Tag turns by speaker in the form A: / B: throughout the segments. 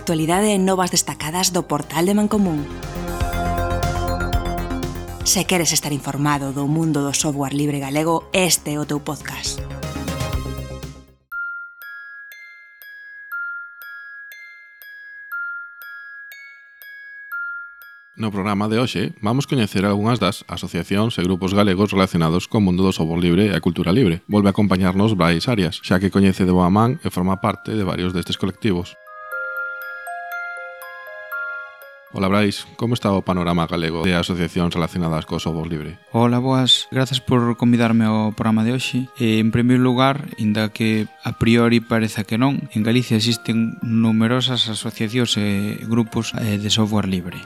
A: actualidade e novas destacadas do portal de Mancomún. Se queres estar informado do mundo do software libre galego, este é o teu podcast.
B: No programa de hoxe vamos coñecer algunhas das asociacións e grupos galegos relacionados co mundo do software libre e a cultura libre. Volve a acompañarnos Brais Arias, xa que coñece de boa man e forma parte de varios destes colectivos. Hola Brais, como está o panorama galego de asociacións relacionadas co software libre?
C: Hola, boas, grazas por convidarme ao programa de hoxe. En primeiro lugar, inda que a priori pareza que non, en Galicia existen numerosas asociacións e grupos de software libre.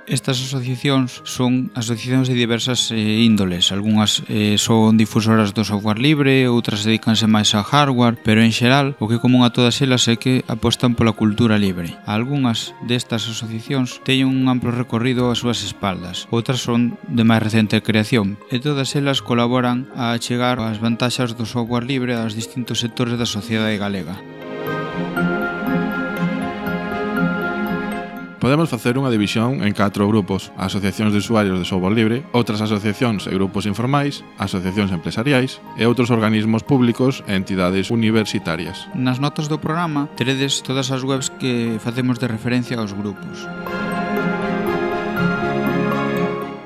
C: Estas asociacións son asociacións de diversas índoles. Algúnas son difusoras do software libre, outras dedícanse máis ao hardware, pero en xeral o que é común a todas elas é que apostan pola cultura libre. Algúnas destas asociacións teñen un amplo recorrido ás súas espaldas, outras son de máis recente creación, e todas elas colaboran a achegar as vantaxes do software libre aos distintos sectores da sociedade galega.
B: Podemos facer unha división en 4 grupos: asociacións de usuarios de software libre, outras asociacións e grupos informais, asociacións empresariais e outros organismos públicos e entidades universitarias.
C: Nas notas do programa teredes todas as webs que facemos de referencia aos grupos.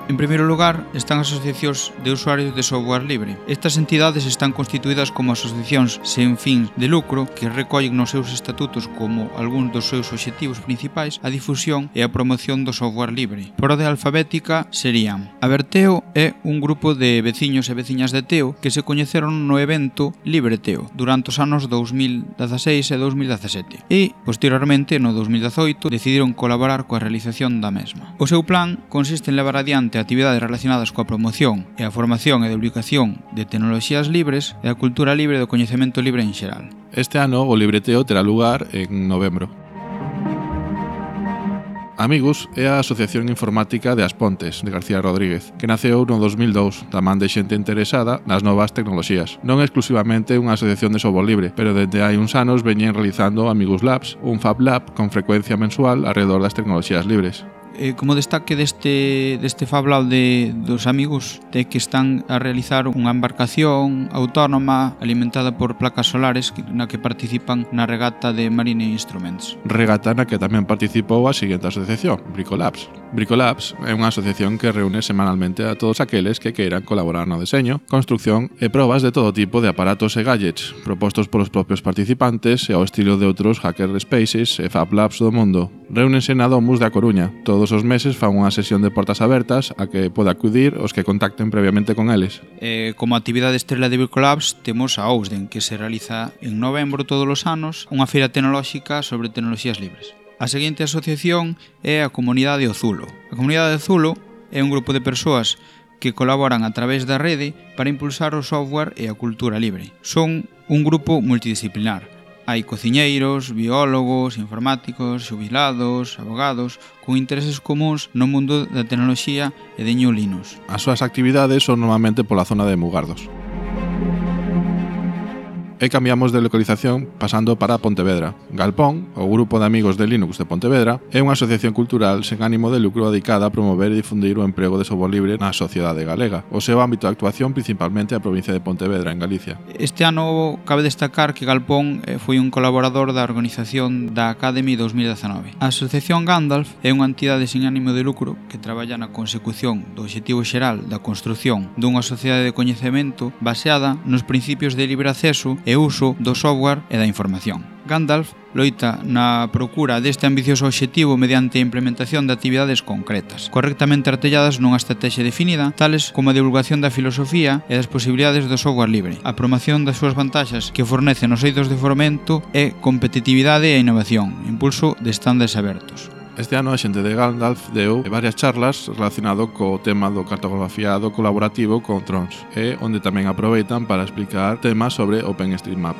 C: En primeiro lugar, están as asociacións de usuarios de software libre. Estas entidades están constituídas como asociacións sen fins de lucro que recollen nos seus estatutos como algúns dos seus obxectivos principais a difusión e a promoción do software libre. Por orde alfabética serían: Aberteo é un grupo de veciños e veciñas de Teo que se coñeceron no evento Libre Teo durante os anos 2016 e 2017 e, posteriormente, no 2018, decidiron colaborar coa realización da mesma. O seu plan consiste en levar adiante actividades relacionadas coa promoción e a formación e divulgación de tecnoloxías libres e a cultura libre do coñecemento libre en xeral.
B: Este ano o Libreteo terá lugar en novembro. Amigos é a Asociación Informática de As Pontes, de García Rodríguez, que naceu no 2002, da man de xente interesada nas novas tecnoloxías. Non é exclusivamente unha asociación de software libre, pero desde hai uns anos veñen realizando Amigos Labs, un Fab Lab con frecuencia mensual alrededor das tecnoloxías libres.
C: Como destaque deste Fab Lab dos amigos é que están a realizar unha embarcación autónoma alimentada por placas solares na que participan na regata de Marine Instruments.
B: Regata na que tamén participou a seguinte asociación, Bricolabs. Bricolabs é unha asociación que reúne semanalmente a todos aqueles que queiran colaborar no deseño, construcción e probas de todo tipo de aparatos e gadgets propostos polos propios participantes e ao estilo de outros hackerspaces e Fab Labs do mundo. Reúnense na Domus da Coruña. Todos os meses fan unha sesión de portas abertas a que pode acudir os que contacten previamente con eles.
C: Como actividade estrela de Bricolabs temos a Ousden, que se realiza en novembro todos os anos, unha feira tecnolóxica sobre tecnoloxías libres. A seguinte asociación é a Comunidade Ozulo. A Comunidade Ozulo é un grupo de persoas que colaboran a través da rede para impulsar o software e a cultura libre. Son un grupo multidisciplinar. Hai cociñeiros, biólogos, informáticos, xubilados, abogados, con intereses comuns no mundo da tecnoloxía e de GNU Linux.
B: As súas actividades son normalmente pola zona de Mugardos. E cambiamos de localización pasando para Pontevedra. Galpón, o Grupo de Amigos de Linux de Pontevedra, é unha asociación cultural sen ánimo de lucro dedicada a promover e difundir o emprego de software libre na sociedade galega. O seu ámbito de actuación principalmente a provincia de Pontevedra, en Galicia.
C: Este ano cabe destacar que Galpón foi un colaborador da organización da Academy 2019. A Asociación Gandalf é unha entidade sen ánimo de lucro que traballa na consecución do obxectivo xeral da construción dunha sociedade de coñecemento baseada nos principios de libre acceso e uso do software e da información. Gandalf loita na procura deste ambicioso obxectivo mediante a implementación de actividades concretas, correctamente artelladas nunha estrategia definida, tales como a divulgación da filosofía e das posibilidades do software libre, a promoción das súas vantaxes que fornecen os eidos de fomento e competitividade e innovación, impulso de estándares abertos.
B: Este ano a xente de Gandalf deu varias charlas relacionado co tema do cartografiado colaborativo con Trons e onde tamén aproveitan para explicar temas sobre OpenStreetMap.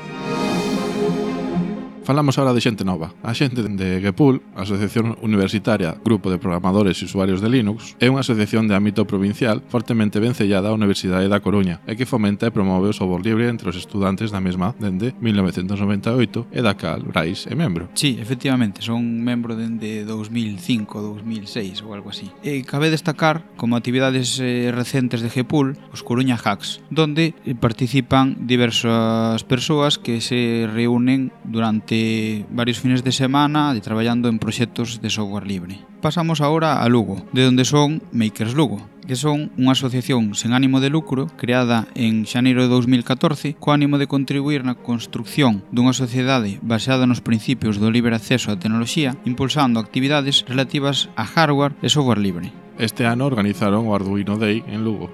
B: Falamos ahora de xente nova. A xente de GPUL, a Asociación Universitaria Grupo de Programadores e Usuarios de Linux, é unha asociación de ámbito provincial fortemente vencellada á Universidade da Coruña e que fomenta e promove o software libre entre os estudantes da mesma dende 1998 e da cal Brais é membro.
C: Sí, efectivamente, son membro dende 2005, 2006 ou algo así. E cabe destacar como actividades recentes de GPUL os Coruña Hacks, donde participan diversas persoas que se reúnen durante varios fines de semana traballando en proxectos de software libre. Pasamos agora a Lugo, de onde son Makers Lugo, que son unha asociación sen ánimo de lucro creada en xaneiro de 2014 co ánimo de contribuir na construcción dunha sociedade baseada nos principios do libre acceso á tecnoloxía, impulsando actividades relativas a hardware e software libre.
B: Este ano organizaron o Arduino Day en Lugo.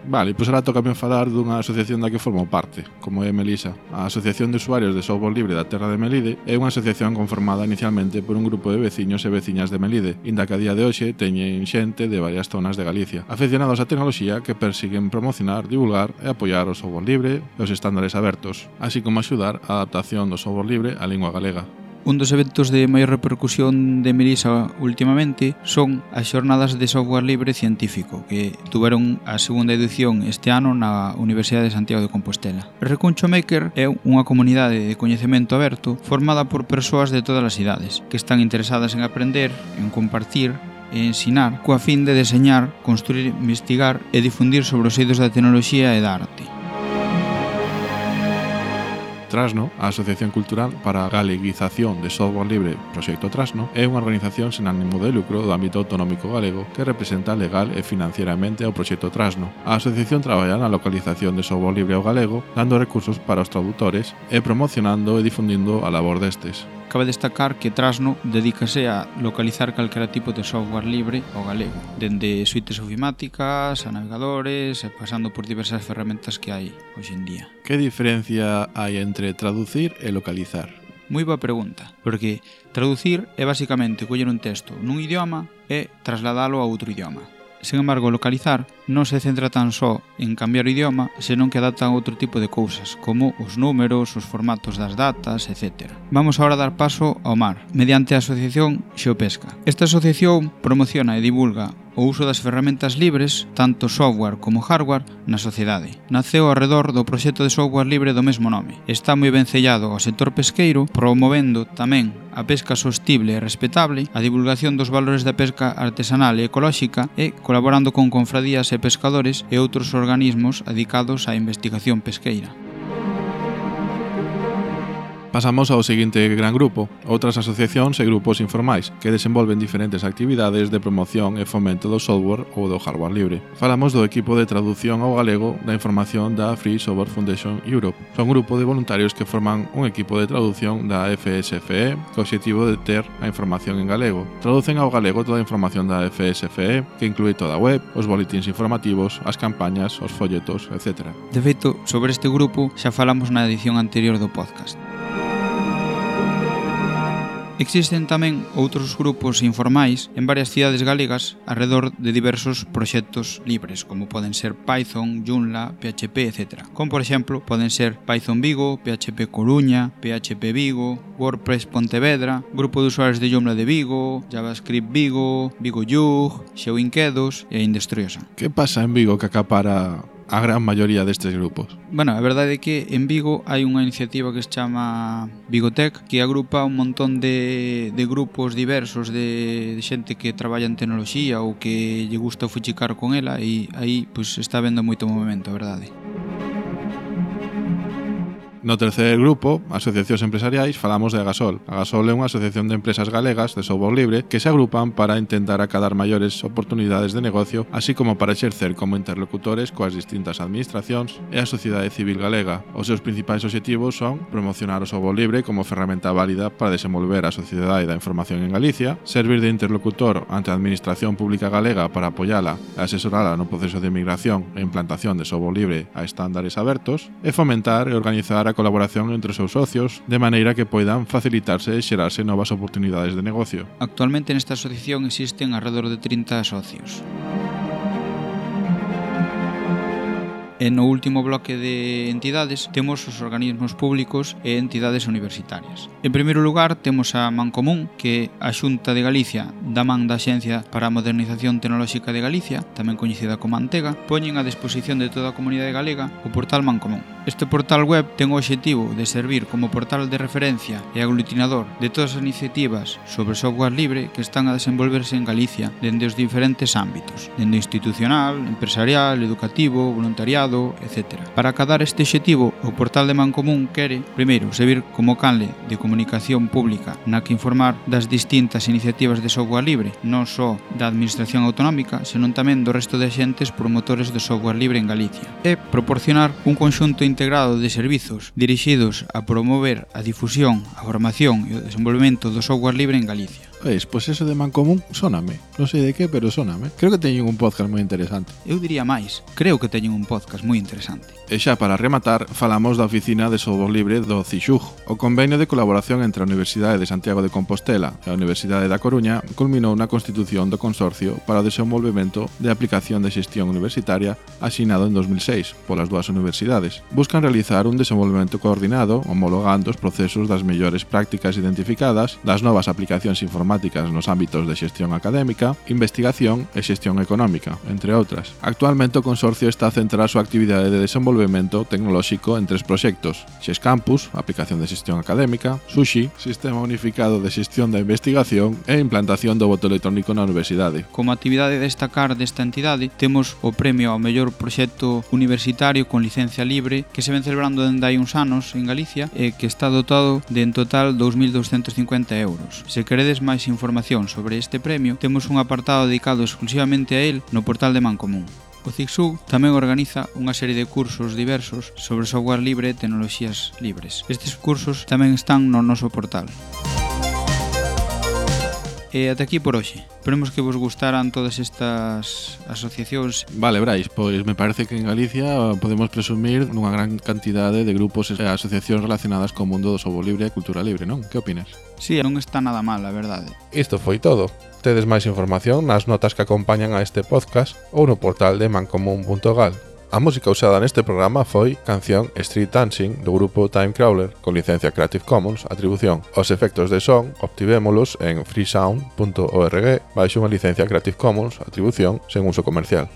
B: Vale, pois ahora toca falar dunha asociación da que formo parte, como é Melisa. A Asociación de Usuarios de Software Libre da Terra de Melide é unha asociación conformada inicialmente por un grupo de veciños e veciñas de Melide, inda que a día de hoxe teñen xente de varias zonas de Galicia, afeccionados á tecnoloxía que persiguen promocionar, divulgar e apoiar o software libre e os estándares abertos, así como axudar a adaptación do software libre á lingua galega.
C: Un dos eventos de maior repercusión de Melisa últimamente son as xornadas de software libre científico que tuveron a segunda edición este ano na Universidade de Santiago de Compostela. Recuncho Maker é unha comunidade de coñecemento aberto formada por persoas de todas as idades que están interesadas en aprender, en compartir e ensinar coa fin de deseñar, construir, investigar e difundir sobre os eidos da tecnoloxía e da arte.
B: Trasno, a Asociación Cultural para a Galeguización de Software Libre Proxecto Trasno, é unha organización sen ánimo de lucro do ámbito autonómico galego que representa legal e financieramente ao proxecto Trasno. A asociación traballa na localización de software libre ao galego, dando recursos para os tradutores e promocionando e difundindo a labor destes.
C: Cabe destacar que Trasno dedícase a localizar calquera tipo de software libre ao galego, dende suites ofimáticas a navegadores e pasando por diversas ferramentas que hai hoxe en día.
B: Que diferencia hai entre traducir e localizar?
C: Moi boa pregunta, porque traducir é basicamente coller un texto nun idioma e trasladalo a outro idioma. Sen embargo, localizar non se centra tan só en cambiar o idioma, senón que adapta a outro tipo de cousas, como os números, os formatos das datas, etc. Vamos agora a dar paso ao mar, mediante a asociación Xeopesca. Esta asociación promociona e divulga o uso das ferramentas libres, tanto software como hardware, na sociedade. Naceu ao redor do proxecto de software libre do mesmo nome. Está moi vencellado ao sector pesqueiro, promovendo tamén a pesca sostible e respetable, a divulgación dos valores da pesca artesanal e ecolóxica e colaborando con confradías e pescadores e outros organismos dedicados á investigación pesqueira.
B: Pasamos ao seguinte gran grupo, outras asociacións e grupos informais que desenvolven diferentes actividades de promoción e fomento do software ou do hardware libre. Falamos do equipo de traducción ao galego da información da Free Software Foundation Europe. Son un grupo de voluntarios que forman un equipo de traducción da FSFE co obxectivo de ter a información en galego. Traducen ao galego toda a información da FSFE, que inclúe toda a web, os boletins informativos, as campañas, os folletos, etc.
C: De feito, sobre este grupo xa falamos na edición anterior do podcast. Existen tamén outros grupos informais en varias cidades galegas arredor de diversos proxectos libres, como poden ser Python, Joomla, PHP, etc. Como, por exemplo, poden ser Python Vigo, PHP Coruña, PHP Vigo, WordPress Pontevedra, Grupo de Usuarios de Joomla de Vigo, JavaScript Vigo, Vigo Yug, Xeoinquedos e Indestriosa.
B: Que pasa en Vigo que acapara a gran maioría destes grupos?
C: Bueno, a verdade é que en Vigo hai unha iniciativa que se chama Vigotech, que agrupa un montón de grupos diversos de xente que traballa en tecnoloxía ou que lle gusta fuchicar con ela, e aí pois está vendo moito movimento, a verdade.
B: No terceiro grupo, asociacións empresariais, falamos de Agasol. Agasol é unha asociación de empresas galegas de software libre que se agrupan para intentar acadar maiores oportunidades de negocio, así como para exercer como interlocutores coas distintas administracións e a sociedade civil galega. Os seus principais obxectivos son promocionar o software libre como ferramenta válida para desenvolver a sociedade da información en Galicia, servir de interlocutor ante a administración pública galega para apoiala e asesorala no proceso de migración e implantación de software libre a estándares abertos, e fomentar e organizar a colaboración entre os seus socios, de maneira que poidan facilitarse e xerarse novas oportunidades de negocio.
C: Actualmente nesta asociación existen alrededor de 30 socios. E no último bloque de entidades temos os organismos públicos e entidades universitarias. En primeiro lugar temos a Mancomún, que a Xunta de Galicia, da man da Axencia para a Modernización Tecnolóxica de Galicia, tamén coñecida como Antega, poñen a disposición de toda a comunidade galega o portal Mancomún. Este portal web ten o obxectivo de servir como portal de referencia e aglutinador de todas as iniciativas sobre software libre que están a desenvolverse en Galicia dende os diferentes ámbitos, dende institucional, empresarial, educativo, voluntariado, etc. Para acadar este obxectivo, o portal de Mancomún quere, primeiro, servir como canle de comunicación pública na que informar das distintas iniciativas de software libre, non só da Administración Autonómica, senón tamén do resto de axentes promotores de software libre en Galicia, e proporcionar un conxunto integrado de servizos dirixidos a promover a difusión, a formación e o desenvolvemento do software libre en Galicia.
B: Pois eso de Mancomún sóname. Non sei de que, pero sóname. Creo que teñen un podcast moi interesante.
C: Eu diría máis, creo que teñen un podcast moi interesante.
B: E xa para rematar, falamos da Oficina de Software Libre do CIXUG. O convenio de colaboración entre a Universidade de Santiago de Compostela e a Universidade da Coruña culminou na constitución do consorcio para o desenvolvemento de aplicación de xestión universitaria asinado en 2006 polas dúas universidades. Buscan realizar un desenvolvemento coordinado homologando os procesos das mellores prácticas identificadas, das novas aplicacións informáticas nos ámbitos de xestión académica, investigación e xestión económica, entre outras. Actualmente o consorcio está a centrar a súa actividade de desenvolvemento tecnolóxico en 3 proxectos: XES Campus, aplicación de xestión académica; Sushi, sistema unificado de xestión da investigación; e implantación do voto electrónico na universidade.
C: Como actividade a destacar desta entidade, temos o premio ao mellor proxecto universitario con licencia libre que se ven celebrando dende hai uns anos en Galicia e que está dotado de en total 2.250 euros. Se queredes máis información sobre este premio, temos un apartado dedicado exclusivamente a él no portal de Mancomún. O CIXUG tamén organiza unha serie de cursos diversos sobre software libre e tecnoloxías libres. Estes cursos tamén están no noso portal. E ata aquí por hoxe. Esperemos que vos gustaran todas estas asociacións.
B: Vale, Brais, pois me parece que en Galicia podemos presumir nunha gran cantidade de grupos e asociacións relacionadas co mundo do software libre e cultura libre, non? Que opinas?
C: Sí, non está nada mal, a verdade.
B: Isto foi todo. Tedes máis información nas notas que acompañan a este podcast ou no portal de mancomún.gal. A música usada neste programa foi canción Street Dancing do grupo Time Crawler con licencia Creative Commons Atribución. Os efectos de son obtivémolos en freesound.org baixo unha licencia Creative Commons Atribución sen uso comercial.